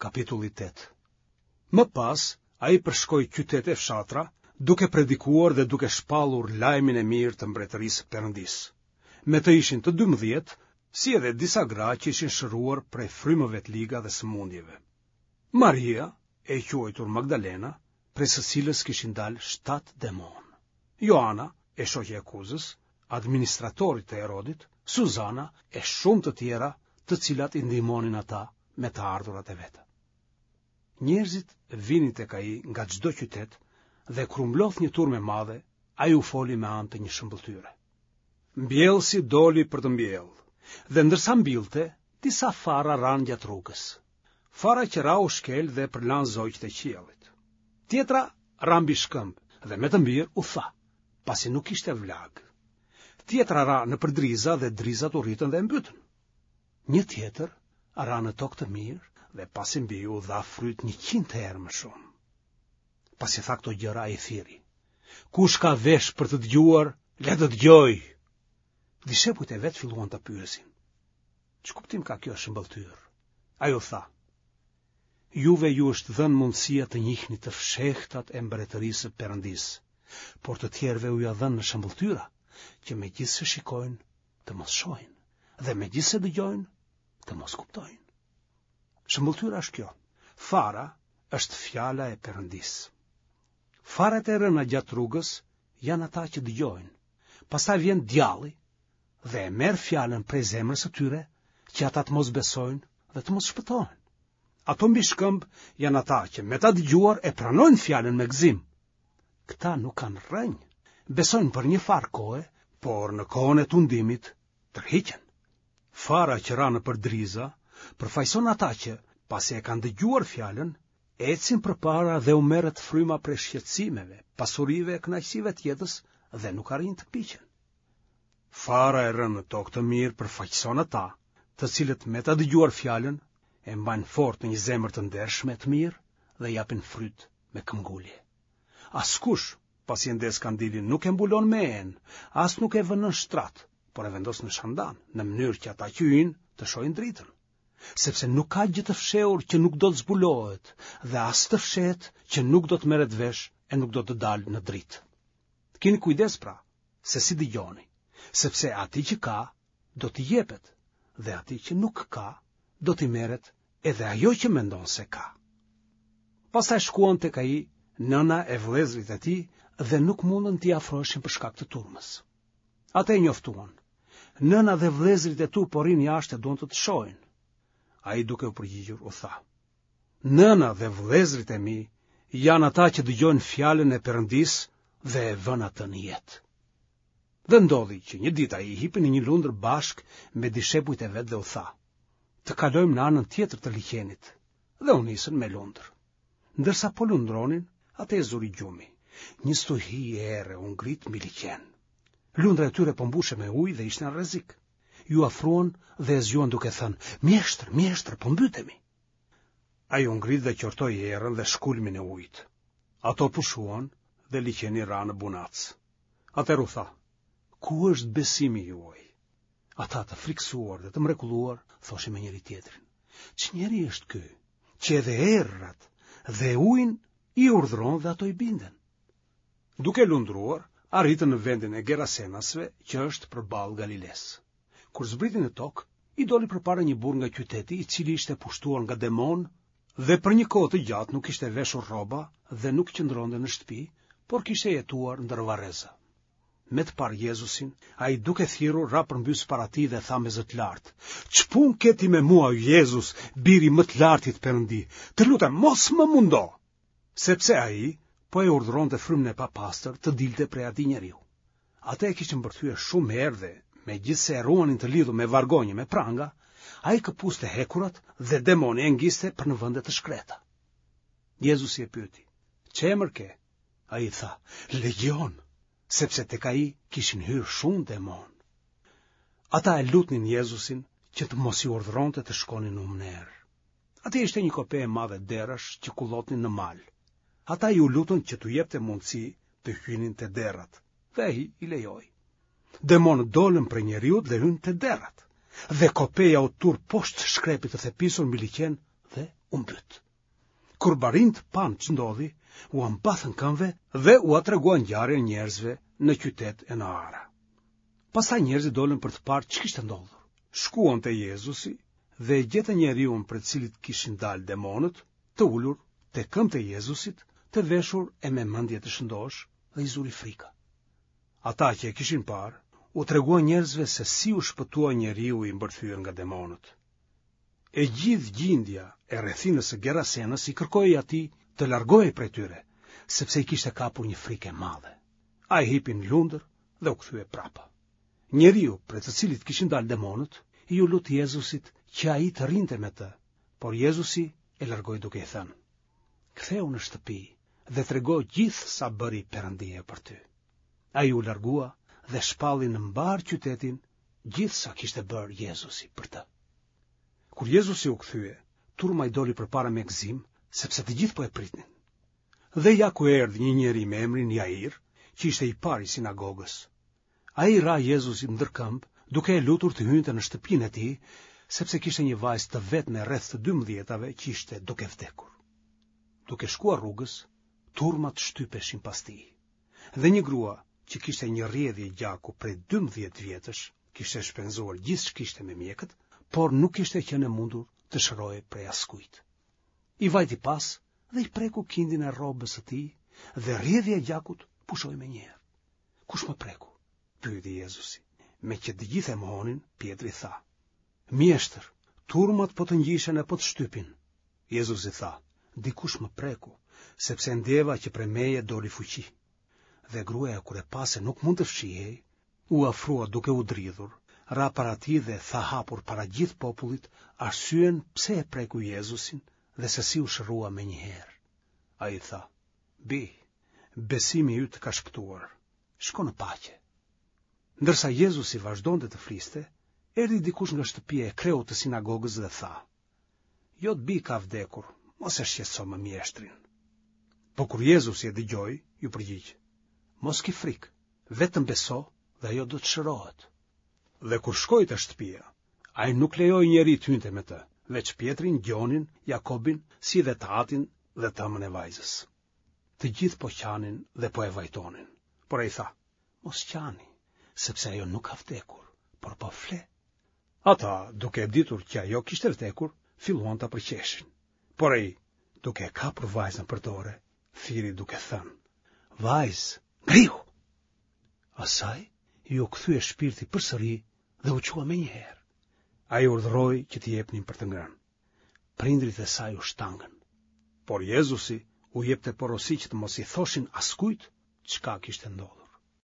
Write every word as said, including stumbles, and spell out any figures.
Kapitulli tetë. Më pas, ai përshkoi qytete e fshatra, duke predikuar dhe duke shpallur lajmin e mirë të mbretërisë së Perëndisë. Me të ishin të dymbëdhjetë, si edhe disa gra që ishin shëruar prej frymëve të liga dhe sëmundjeve. Maria, e quajtur Magdalena, prej së cilës kishin dalë shtatë demonë. Joana, e shoqja e Kuzës, administratorit të Herodit, Suzana e shumë të tjera, të cilat i ndihmonin ata me të ardhurat e veta. Njerëzit vinin tek ai nga çdo qytet dhe kur u mblodh një turmë e madhe, ai u foli me anë të një shëmbëlltyre. Mbjellësi doli për të mbjellë, dhe ndërsa mbillte, disa fara ranë gjatë rrugës. Fara që ra u shkel dhe e përlanë zogjtë e qiellit. Tjetra ra mbi shkëmb dhe me të mbirë u tha, pasi nuk kishte vlagë. Tjetra ra nëpër driza dhe drizat u rritën dhe e mbytën. Një tjetër ra në tokë të mirë dhe pasi mbiu dha fryt njëqind herë më shumë. Pasi tha këto gjëra ai thirri. Kush ka vesh për të dëgjuar, le të dëgjojë. Dishepujt e vet filluan ta pyesin. Ç'kuptim ka kjo shëmbëlltyrë? Ai u tha: Juve ju është dhënë mundësia të njihni të fshehtat e mbretërisë së Perëndisë, por të tjerëve u janë dhënë në shëmbëlltyra, që megjithëse shikojnë, të mos shohin, dhe megjithëse dëgjojnë, të mos kuptojnë. Shëmbëlltyra është kjo. Fara është fjala e Perëndisë. Farat e rëna gjatë rrugës janë ata që dëgjojnë. Pastaj vjen djalli dhe e merr fjalën prej zemrës së tyre që ata të mos besojnë dhe të mos shpëtohen. Ato mbi shkëmb janë ata që me ta dëgjuar e pranojnë fjalën me gëzim. Këta nuk kanë rrënjë, besojnë për një farë kohe, por në kohën e tundimit tërhiqen. Fara që ra nëpër driza përfaqëson ata që, pasi e kanë dëgjuar fjalën, ecin përpara dhe u merret fryma prej shqetësimeve, pasurive e kënaqësive të jetës dhe nuk arrijnë të piqen. Fara e rënë në tokë të mirë përfaqëson ata, të cilët me ta dëgjuar fjalën e mbajnë fort në një zemër të ndershme e të mirë dhe japin fryt me këmbgulje. Askush, pasi e ndez kandilin, nuk e mbulon me enë, as nuk e vë nën shtrat, por e vendos në shandan, në mënyrë që ata që hyjnë të shohin dritën. Sepse nuk ka gjë të fshehur që nuk do të zbulohet dhe as të fshehtë që nuk do të merret vesh e nuk do të dalë në dritë. Kini kujdes pra, se si dëgjoni, sepse atij që ka, do t'i jepet, dhe atij që nuk ka, do t'i merret edhe ajo që mendon se ka. Pastaj shkuan tek ai nëna e vëllezërit e tij dhe nuk mundën t'i afroheshin për shkak të turmës. Atë e njoftuan. Nëna dhe vëllezërit e tu po rrinë jashtë e duan të të shohin. Ai duke u përgjigjur u tha: Nëna dhe vëllezërit e mi janë ata që dëgjojnë fjalën e Perëndisë dhe e vënë atë në jetë. Dhe ndodhi që një ditë ai hipi në një lundër bashkë me dishepujt e vet dhe u tha: Të kalojmë në anën tjetër të liqenit. Dhe u nisën me lundër. Ndërsa po lundronin, atë e zuri gjumi. Një stuhi ere u ngrit mbi liqen. Lundra e tyre po mbushej me ujë dhe ishte në rrezik. Iu afruan dhe e zgjuan duke thënë: "Mjeshtër, mjeshtër, po mbytemi." Ai u ngrit dhe qortoi erën dhe shkulmin e ujit. Ato pushuan dhe liqeni ra në bunac. Atëherë u tha: "Ku është besimi juaj?" Ata të frikësuar dhe të mrekulluar thoshin me njëri-tjetrin: Ç'njeri është ky, që edhe erërat dhe ujin i urdhëron dhe ato i binden? Duke lundruar, arritën në vendin e Gerasenasve, që është përballë Galilesë. Kur zbriti në tokë, i doli përpara një burrë nga qyteti, i cili ishte pushtuar nga demonë dhe për një kohë të gjatë nuk kishte veshur rroba dhe nuk qëndronte në shtëpi, por kishte jetuar ndër varreza. Me të parë Jezusin, ai duke thirrur ra përmbys para tij dhe tha me zë të lartë: Ç'punë ke ti me mua, Jezus, biri i më të lartit Perëndi? Të lutem, mos më mundo! Sepse ai po e urdhëronte frymën e papastër të dilte prej atij njeriu. Atë e kishin mbërthyer shumë herë dhe, megjithëse e ruanin të lidhur me vargonj e me pranga, ai këpuste hekurat dhe demoni e ngiste për në vende të shkreta. Jezusi e pyeti: Ç'emër ke? Ai tha: Legjion, sepse tek ai kishin hyrë shumë demonë. Ata e lutnin Jezusin që të mos i urdhëronte të shkonin në humnerë. Atje ishte një kope e madhe derrash që kullotnin në mal. Ata iu lutën që t'u jepte mundësi të hynin te derrat, dhe ai i lejoi. Demonët dolën prej njeriut dhe hynë te derrat, dhe kopeja u turr poshtë shkrepit të thepisur mbi liqen dhe u mbyt. Kur barinjtë panë ç'ndodhi, ua mbathën këmbëve dhe ua treguan ngjarjen njerëzve në qytet e në ara. Pastaj njerëzit dolën për të parë ç'kishte ndodhur. Shkuan te Jezusi dhe e gjetën njeriun prej të cilit kishin dalë demonët, të ulur te këmbët e Jezusit, të veshur e me mendje të shëndoshë dhe i zuri frika. Ata që e kishin parë, u treguan njerëzve se si u shpëtua njeriu i mbërthyer nga demonët. E gjithë gjindja e rrethinës së Gerasenës i kërkoi atij të largohej prej tyre, sepse i kishte kapur një frikë e madhe. Ai hipi në lundër dhe u kthye prapa. Njeriu prej të cilit kishin dalë demonët, iu lut Jezusit që ai të rrinte me të, por Jezusi e largoi duke i thënë: Kthehu në shtëpi dhe trego gjithë sa bëri Perëndia për ty. Ai u largua dhe shpalli në mbarë qytetin gjithë sa kishte bërë Jezusi për të. Kur Jezusi u kthye, turma i doli përpara me gëzim, sepse të gjithë po e pritnin. Dhe ja ku erdhi një njeri me emrin Jair, që ishte i pari i sinagogës. Ai i ra Jezusit ndër këmbë, duke e lutur të hynte në shtëpinë e tij, sepse kishte një vajzë të vetme rreth të dymbëdhjetave që ishte duke vdekur. Duke shkuar rrugës, turmat shtypeshin pas tij. Dhe një grua që kishte një rrjedhje gjaku prej dymbëdhjetë vjetësh, kishte shpenzuar gjithë ç'kishte me mjekët, por nuk kishte qenë e mundur të shërohej prej askujt. I vajti pas dhe i preku kindin e rrobës së tij dhe rrjedhja e gjakut pushoi menjëherë. Kush më preku? Pyeti Jezusi. Meqë të gjithë e mohonin, Pjetri tha: Mjeshtër, turmat po të ngjishen e po të shtypin. Jezusi tha: Dikush më preku, sepse ndjeva që prej meje doli fuqi. Dhe gruaja kur e pa se nuk mund të fshihej, u afrua duke u dridhur, ra para tij dhe tha hapur para gjithë popullit arsyen pse e preku Jezusin dhe se si u shërua menjëherë. Ai tha: Bijë, besimi yt të ka shpëtuar. Shko në paqe. Ndërsa Jezusi vazhdonte të fliste, erdhi dikush nga shtëpia e kreut të sinagogës dhe tha: Jot bijë ka vdekur, mos e shqetëso më mjeshtrin. Po kur Jezusi e dëgjoi, iu përgjigj: Mos ki frikë, vetëm beso dhe ajo do të shërohet. Dhe kur shkoi te shtëpia, ai nuk lejoi njeri të hynte me të, veç Pjetrin, Gjonin, Jakobin, si dhe të atin dhe të ëmën e vajzës. Të gjithë po qanin dhe po e vajtonin. Por ai tha: Mos qani, sepse ajo nuk ka vdekur, por po fle. Ata, duke e ditur që ajo kishte vdekur, filluan ta përqeshin. Por ai, duke e kapur vajzën për dore, thirri duke thënë: Vajzë, ngrihu! Asaj iu kthye shpirti përsëri dhe u çua menjëherë. Ai urdhëroi që t'i jepnin për të ngrënë. Prindërit e saj u shtangën. Por Jezusi u jepte porosi që të mos i thoshin askujt çka kishte ndodhur.